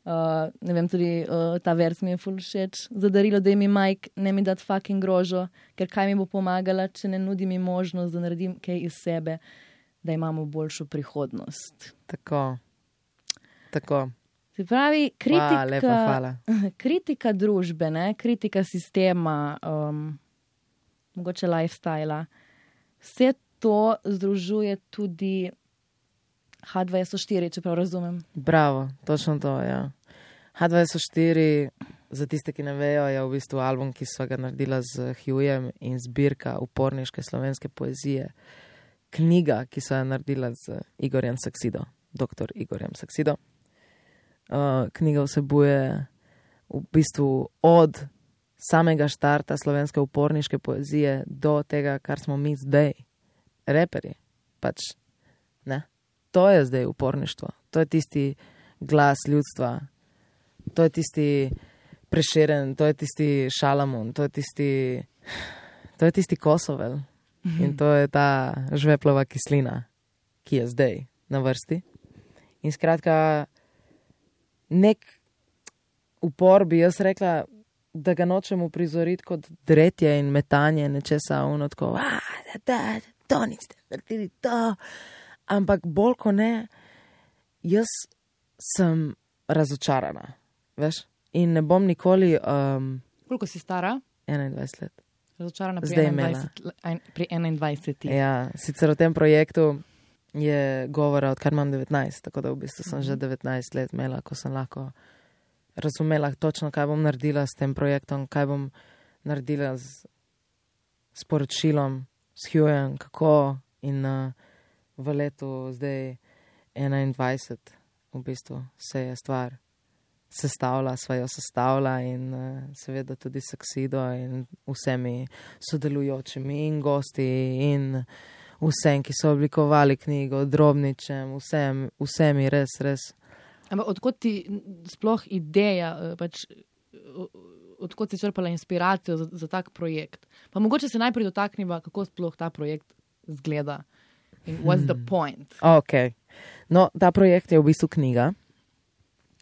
Uh, ne vem, tudi uh, ta vers mi je ful všeč. Zadarilo, da mi Mike ne mi dat fucking grožo, ker kaj mi bo pomagala, če ne nudi mi možnost, da naredim kaj iz sebe, da imamo boljšo prihodnost. tako, tako. Se pravi, kritika, Hvala, lepa, hvala. kritika družbe, ne? Kritika sistema, um, mogoče lifestyla. Vse to združuje tudi H dva S O štiri, če prav razumem. Bravo, točno to, ja. H dva S O štiri, za tiste, ki ne vejo, je v bistvu album, ki sva ga naredila z Hughjem in zbirka uporniške slovenske poezije. Knjiga, ki sva jo naredila z Igorjem Saksido, doktor Igorjem Saksido. Uh, knjiga vsebuje v bistvu od samega štarta slovenske uporniške poezije do tega, kar smo mi zdaj, reperji. Pač, ne? To je zdaj uporništvo. To je tisti glas ljudstva. To je tisti Prešeren, to je tisti Šalamun, to je tisti, to je tisti Kosovel. In to je ta žveplova kislina, ki je zdaj na vrsti. In skratka, nek upor bi jaz rekla, da ga nočem uprizoriti kot dretje in metanje nečesa uno tako, a, da, da, to niste naredili, to. Ampak bolj ko ne, jaz sem razočarana, veš? In ne bom nikoli um, Koliko si stara? enaindvajset let. Razočarana pri Zdaj imela. enaindvajset, pri enaindvajsetih. Ja, sicer o tem projektu je govora, odkar imam devetnajst, tako da v bistvu sem že devetnajst let imela, ko sem lahko razumela točno, kaj bom naredila s tem projektom, kaj bom naredila z sporočilom, s Hughjem, kako in uh, v letu zdaj enaindvajset v bistvu se je stvar sestavila, sva jo sestavila in uh, seveda tudi Saksido in vsemi sodelujočimi in gosti in vsem, ki so oblikovali knjigo, Drobničem, vsem, vsemi res, res. Ampak odkot ti sploh ideja, eh, pač, o- odkot si črpala inspiracijo za, za tak projekt? Pa mogoče se najprej dotakniva, kako sploh ta projekt zgleda in what's the point? Ok. No, ta projekt je v bistvu knjiga,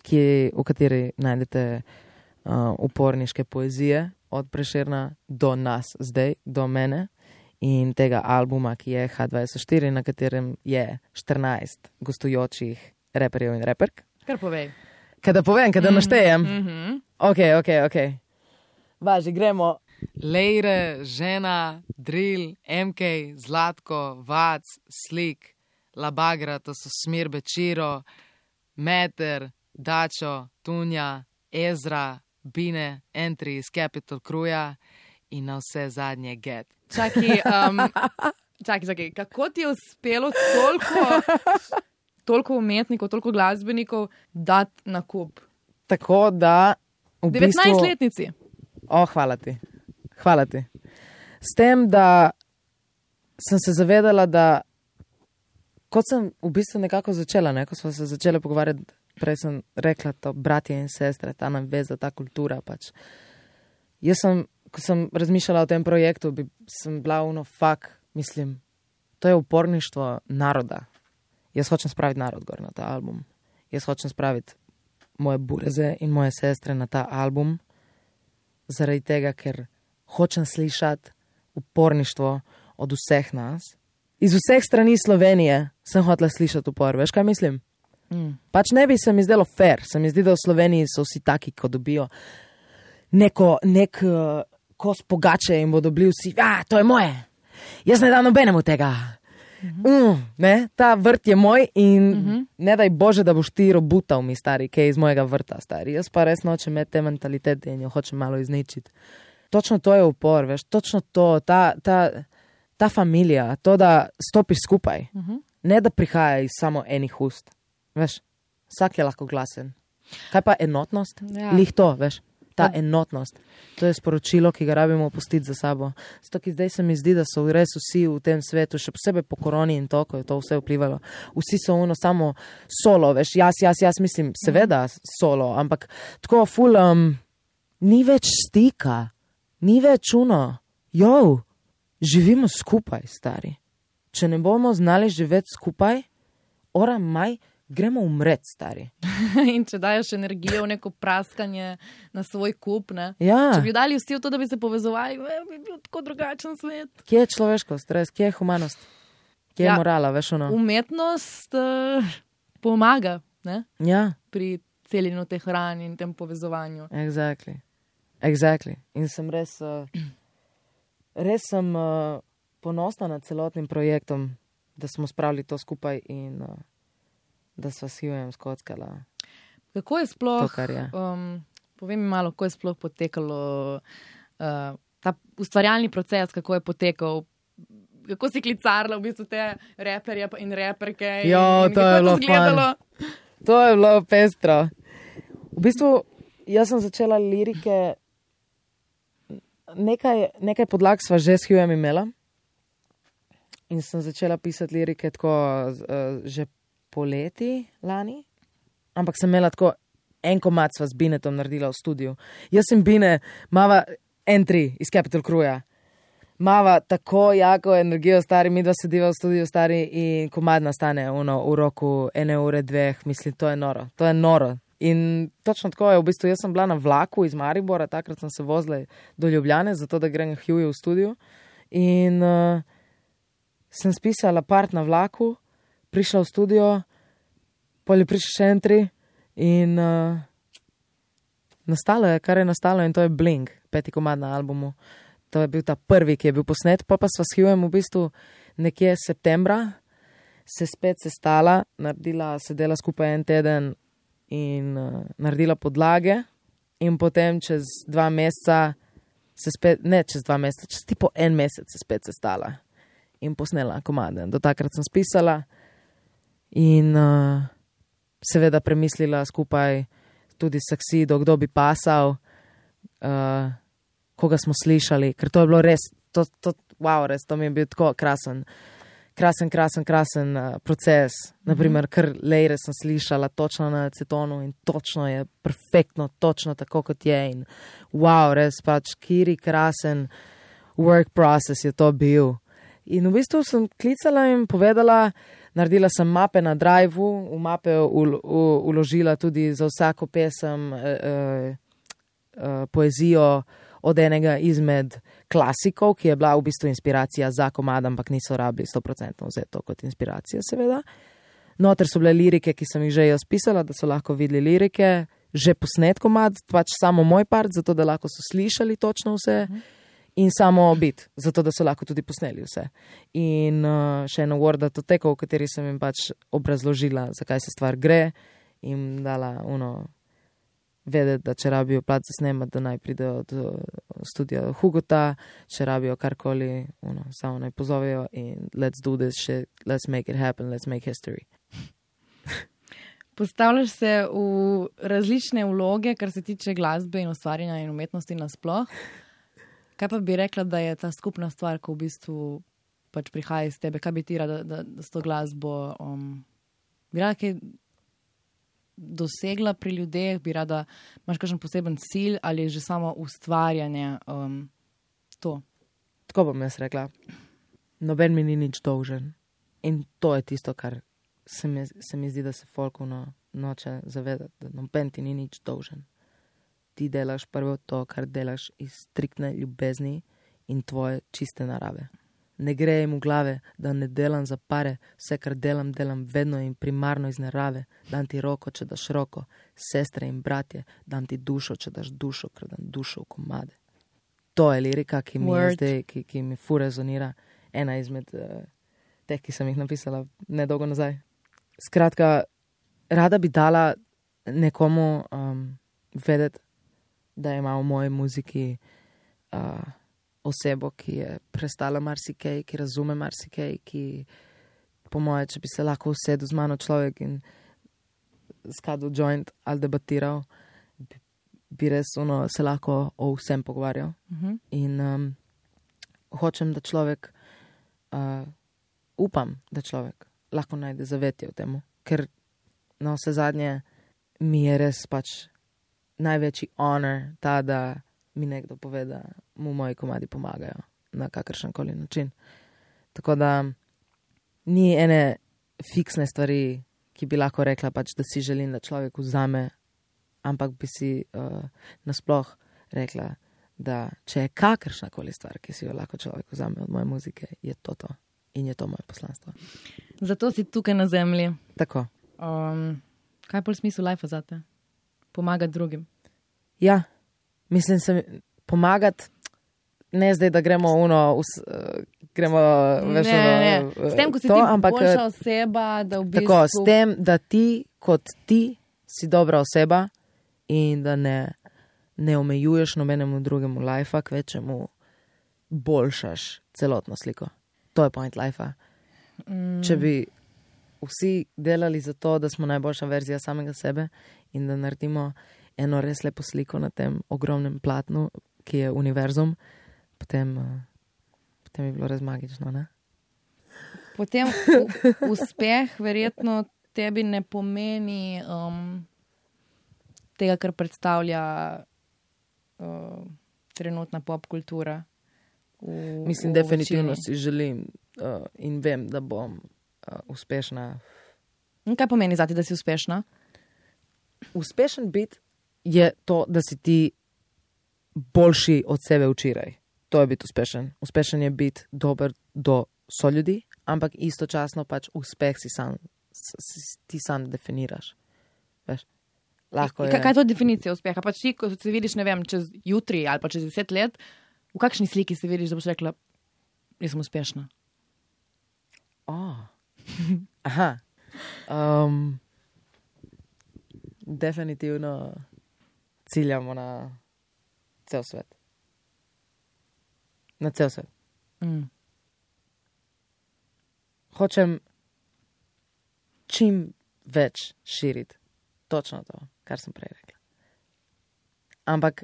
ki, v kateri najdete uh, uporniške poezije od Prešerna do nas zdaj, do mene. in tega albuma, ki je H dvajset štiri, na katerem je štirinajst gostujočih reperjev in reperk. Kar povej. Kaj da povem, kaj da naštejem? Mm-hmm. Ok, ok, ok. Važi, gremo. Lejre, Žena, Drill, M K, Zlatko, Vac, Slik, Labagra, to so Smirbe, Čiro, Meter, Dačo, Tunja, Ezra, Bine, Entry iz Capital Crewja in na vse zadnje Get. Čakaj, um, čakaj, čakaj, kako ti je uspelo toliko, toliko umetnikov, toliko glasbenikov dati na kup? Tako da v bistvu... devetnajstletnici. O, hvala ti. Hvala ti. S tem, da sem se zavedala, da kot sem v bistvu nekako začela, ne, ko smo se začeli pogovarjati, prej sem rekla to bratje in sestre, ta nam veza, ta kultura pač. Jaz sem, ko sem razmišljala o tem projektu, bi, sem bila uno fak, mislim, to je uporništvo naroda. Jaz hočem spraviti narod gor na ta album. Jaz hočem spraviti moje bureze in moje sestre na ta album, zaradi tega, ker hočem slišati uporništvo od vseh nas. Iz vseh strani Slovenije sem hotela slišati upor. Veš, kaj mislim? Mm. Pač ne bi se mi zdelo fair. Se mi zdi, da v Sloveniji so vsi taki, ko dobijo neko, nek uh, kos pogače in bodo bili vsi, a, to je moje. Jaz ne dam nobenemu tega. Mm-hmm. Mm, ne? Ta vrt je moj in mm-hmm. ne daj Bože, da boš ti robutal mi, stari, kaj iz mojega vrta, stari. Jaz pa res nočem imeti te mentalitete in jo hočem malo izničiti. Točno to je upor, veš, točno to, ta, ta, ta familija, to, da stopiš skupaj, uh-huh. ne da prihaja iz samo enih ust, veš, vsak je lahko glasen. Kaj pa enotnost? Ja. Lih to, veš, ta ja. enotnost. To je sporočilo, ki ga rabimo pustiti za sabo. Zato, ki zdaj se mi zdi, da so res vsi v tem svetu, še posebej po koroni in to, ko je to vse vplivalo. Vsi so ono samo solo, veš, jaz, jaz, jaz mislim, seveda solo, ampak tako ful, um, ni več stika. Ni več uno, jo, živimo skupaj, stari. Če ne bomo znali živeti skupaj, ora maj, gremo umret, stari. In če dajo energijo v neko praskanje na svoj kup, ne? Ja. Če bi dali vsi v to, da bi se povezovali, bi bil tako drugačen svet. Kje je človeškost, res, kje je humanost? Kje je ja, morala, veš ono? Umetnost uh, pomaga, ne? Ja. Pri celjenju te hrani in tem povezovanju. Exactly. Exactly. In sem res, uh, res sem uh, ponosna nad celotnim projektom, da smo spravili to skupaj in uh, da sva s Hughjem skockala. Kako je sploh, to, je. Um, povem mi malo, kako je sploh potekalo uh, ta ustvarjalni proces, kako je potekal, kako si klicarla v bistvu te reperje in reperke. Jo, in, to in je bilo fun. To je bilo pestro. V bistvu, jaz sem začela lirike. Nekaj, nekaj podlag sva že s Hughjem imela in sem začela pisati lirike tako uh, že poleti lani, ampak sem imela tako en komad sva z Binetom naredila v studiu. Jaz sem Bine, mava Entry iz Capital Crewja, mava tako jako energijo, stari, mi dva sediva v studiu, stari, in komad nastane uno, v roku ene ure, dveh, mislim, to je noro, to je noro. In točno tako je, v bistvu jaz sem bila na vlaku iz Maribora, takrat sem se vozila do Ljubljane, zato da grem Hughju v studio. In uh, sem spisala part na vlaku, prišla v studio, pol je prišla še Entry in uh, nastalo je, kar je nastalo, in to je Bling, peti komad na albumu. To je bil ta prvi, ki je bil posnet, pa pa sva s Hughjem v bistvu nekje septembra se spet sestala, naredila, sedela skupaj en teden in uh, naredila podlage in potem čez dva meseca se spet, ne čez dva meseca, čez tipo en mesec se spet sestala in posnela komade. Do takrat sem spisala in uh, seveda premislila skupaj tudi s Saksido, kdo bi pasal, uh, koga smo slišali, ker to je bilo res, to, to, wow, res, to mi je bil tako krasen. Krasen, krasen, krasen uh, proces. Naprimer, kar Lejre sem slišala točno na acetonu in točno je perfektno, točno tako, kot je. In wow, res pač, kiri krasen work process je to bil. In v bistvu sem klicala in povedala, naredila sem mape na Driveu, v mape ul, ul, uložila tudi za vsako pesem uh, uh, uh, poezijo od enega izmed klasikov, ki je bila v bistvu inspiracija za komad, ampak niso rabili sto procentov vzeti to kot inspiracijo, seveda. Noter so bile lirike, ki sem jih že jaz pisala, da so lahko videli lirike, že posnet komad, pač samo moj part, zato da lahko so slišali točno vse. Uh-huh. In samo bit, zato da so lahko tudi posneli vse. In uh, še eno Word-datoteko, v kateri sem jim pač obrazložila, zakaj se stvar gre, in dala uno vedeti, da če rabijo plat za snemati, da naj pridejo od studia Hugota, če rabijo karkoli, uno, samo naj pozovejo in let's do this shit, let's make it happen, let's make history. Postavljaš se v različne vloge, kar se tiče glasbe in ustvarjanja in umetnosti nasploh. Kaj pa bi rekla, da je ta skupna stvar, ko v bistvu pač prihaja iz tebe? Kaj bi ti rada, da, da s to glasbo um, bi rada kaj dosegla pri ljudeh? Bi rada, imaš kakšen poseben cilj ali je že samo ustvarjanje um, to? Tako bom jaz rekla. Noben mi ni nič dolžen. In to je tisto, kar se mi, se mi zdi, da se folku no, noče zavedati, da noben ti ni nič dolžen. Ti delaš prvo to, kar delaš iz striktne ljubezni in tvoje čiste narave. Ne gre jim v glave, da ne delam za pare, vse, kar delam, delam vedno in primarno iz narave. Dam ti roko, če daš roko, sestre in bratje, dam ti dušo, če daš dušo, ker dam dušo v komade. To je lirika, ki mi je zdaj, ki, ki mi fu rezonira. Ena izmed uh, teh, ki sem jih napisala nedolgo nazaj. Skratka, rada bi dala nekomu um, vedeti, da ima v moji muziki uh, osebo, ki je prestala marsikaj, ki razume marsikaj, ki po moje, če bi se lahko usedel z mano človek in skadil joint ali debatiral, bi, bi res ono, se lahko o vsem pogovarjal. Uh-huh. In um, hočem, da človek, uh, upam, da človek lahko najde zavetje v temu, ker na vse zadnje mi je res pač največji honor ta, da mi nekdo pove, da mu moji komadi pomagajo na kakršenkoli način. Tako da ni ene fiksne stvari, ki bi lahko rekla pač, da si želim, da človek vzame, ampak bi si uh, nasploh rekla, da če je kakršnakoli stvar, ki si jo lahko človek vzame od moje muzike, je to to. In je to moje poslanstvo. Zato si tukaj na zemlji. Tako. Um, kaj je pol smisel life zate? Pomagati drugim. Ja, mislim se pomagati, ne zdaj, da gremo uno, us, uh, gremo veš, ne, ne, ne. Uh, s tem, ko si to, ti ampak, boljša oseba, da v bistvu... Tako, s tem, da ti, kot ti, si dobra oseba in da ne, ne omejuješ nobenemu drugemu lifea, k večemu boljšaš celotno sliko. To je point lifea. Mm. Če bi vsi delali za to, da smo najboljša verzija samega sebe in da naredimo eno res lepo sliko na tem ogromnem platnu, ki je univerzum, potem, potem bi bilo res magično, ne? Potem u, uspeh verjetno tebi ne pomeni um, tega, kar predstavlja uh, trenutna pop kultura. V, Mislim, v definitivno večini. si želim uh, in vem, da bom uh, uspešna. In kaj pomeni zati, da si uspešna? Uspešen biti je to, da si ti boljši od sebe včeraj. To je biti uspešen. Uspešen je biti dober do soljudi, ampak istočasno pač uspeh si sam, si, ti sam definiraš. Veš? Lahko je. Kaj, kaj je to definicija uspeha? Pač ti, ko se vidiš, ne vem, čez jutri ali pa čez deset let, v kakšni sliki se vidiš, da boš rekla, jaz sem uspešna? Oh. Aha. Um, definitivno ciljamo na cel svet. Na cel svet. Mm. Hočem čim več širiti. Točno to, kar sem prej rekla. Ampak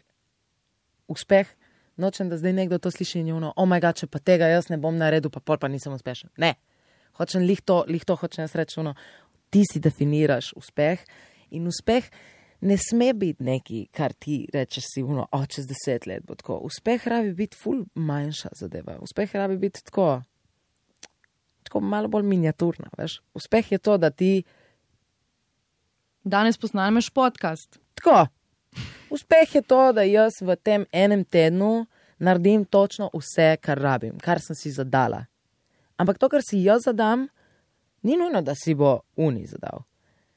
uspeh, nočem, da zdaj nekdo to sliši in je ono, oh my god, če pa tega jaz ne bom naredil, pa pol pa nisem uspešen. Ne. Hočem lih to, lih to hočem jaz reči, ono, ti si definiraš uspeh in uspeh ne sme biti neki, kar ti rečeš si, ono, o, čez deset let bo tako. Uspeh rabi biti ful manjša zadeva. Uspeh rabi biti tako, tako malo bolj miniaturna, veš. Uspeh je to, da ti danes posnameš podcast. tako, Uspeh je to, da jaz v tem enem tednu naredim točno vse, kar rabim, kar sem si zadala. Ampak to, kar si jaz zadam, ni nujno, da si bo uni zadal.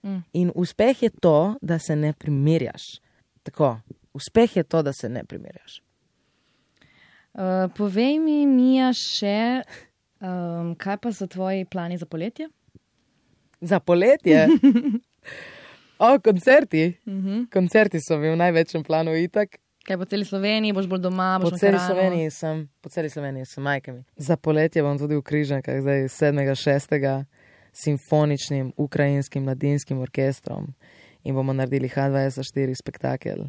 Mm. In uspeh je to, da se ne primerjaš. Tako, uspeh je to, da se ne primerjaš. Uh, povej mi, Mija, še, um, kaj pa so tvoji plani za poletje? Za poletje? O, koncerti. Uh-huh. Koncerti so v največjem planu itak. Kaj po celi Sloveniji, boš bolj doma, boš po celi Sloveniji sem, po celi Sloveniji sem majkami. Za poletje bom tudi v Križankah, zdaj sedmega šestega simfoničnim ukrajinskim mladinskim orkestrom in bomo naredili ha dvajset štiri spektakel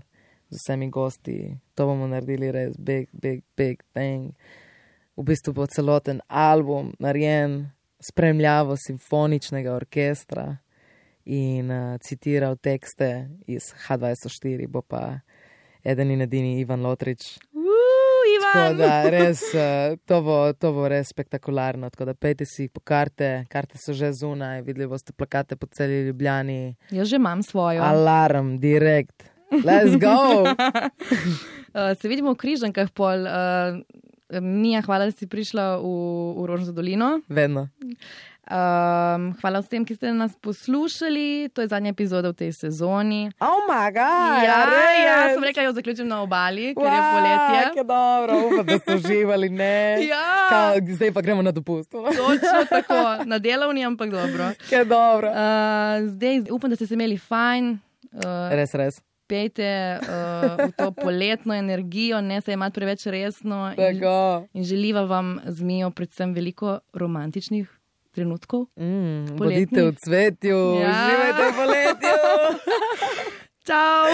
z vsemi gosti. To bomo naredili res big, big, big thing. V bistvu bo celoten album narejen spremljavo simfoničnega orkestra in uh, citiral tekste iz ha dvajset štiri, bo pa eden in edini Ivan Lotrič. Uh, Ivan! Tako da res, uh, to, bo, to bo res spektakularno. Tako da pejte si po karte, karte so že zunaj, videli boste plakate po celi Ljubljani. Jaz že imam svojo. Alarm, direkt. Let's go! uh, se vidimo v Križankah pol. Uh, Mija, hvala, da si prišla v, v Rožnato dolino. Vedno. Um, hvala vsem, ki ste nas poslušali. To je zadnja epizoda v tej sezoni. Oh my god! Ja, res? ja, sem rekla, jo zaključim na obali, ker wow, je poletje. Ke dobro, upam, da ste uživali, ne? Ja. Kao, zdaj pa gremo na dopust. Točno tako, na delovni, ampak dobro. Ke dobro. Uh, zdaj upam, da ste se imeli fajn. Uh, res, res. Pejte uh, v to poletno energijo, ne se imati preveč resno. In, in želiva vam z Mijo predvsem veliko romantičnih trenutkov. Mm, bodite v cvetju, ja. živite v poletju. Čau!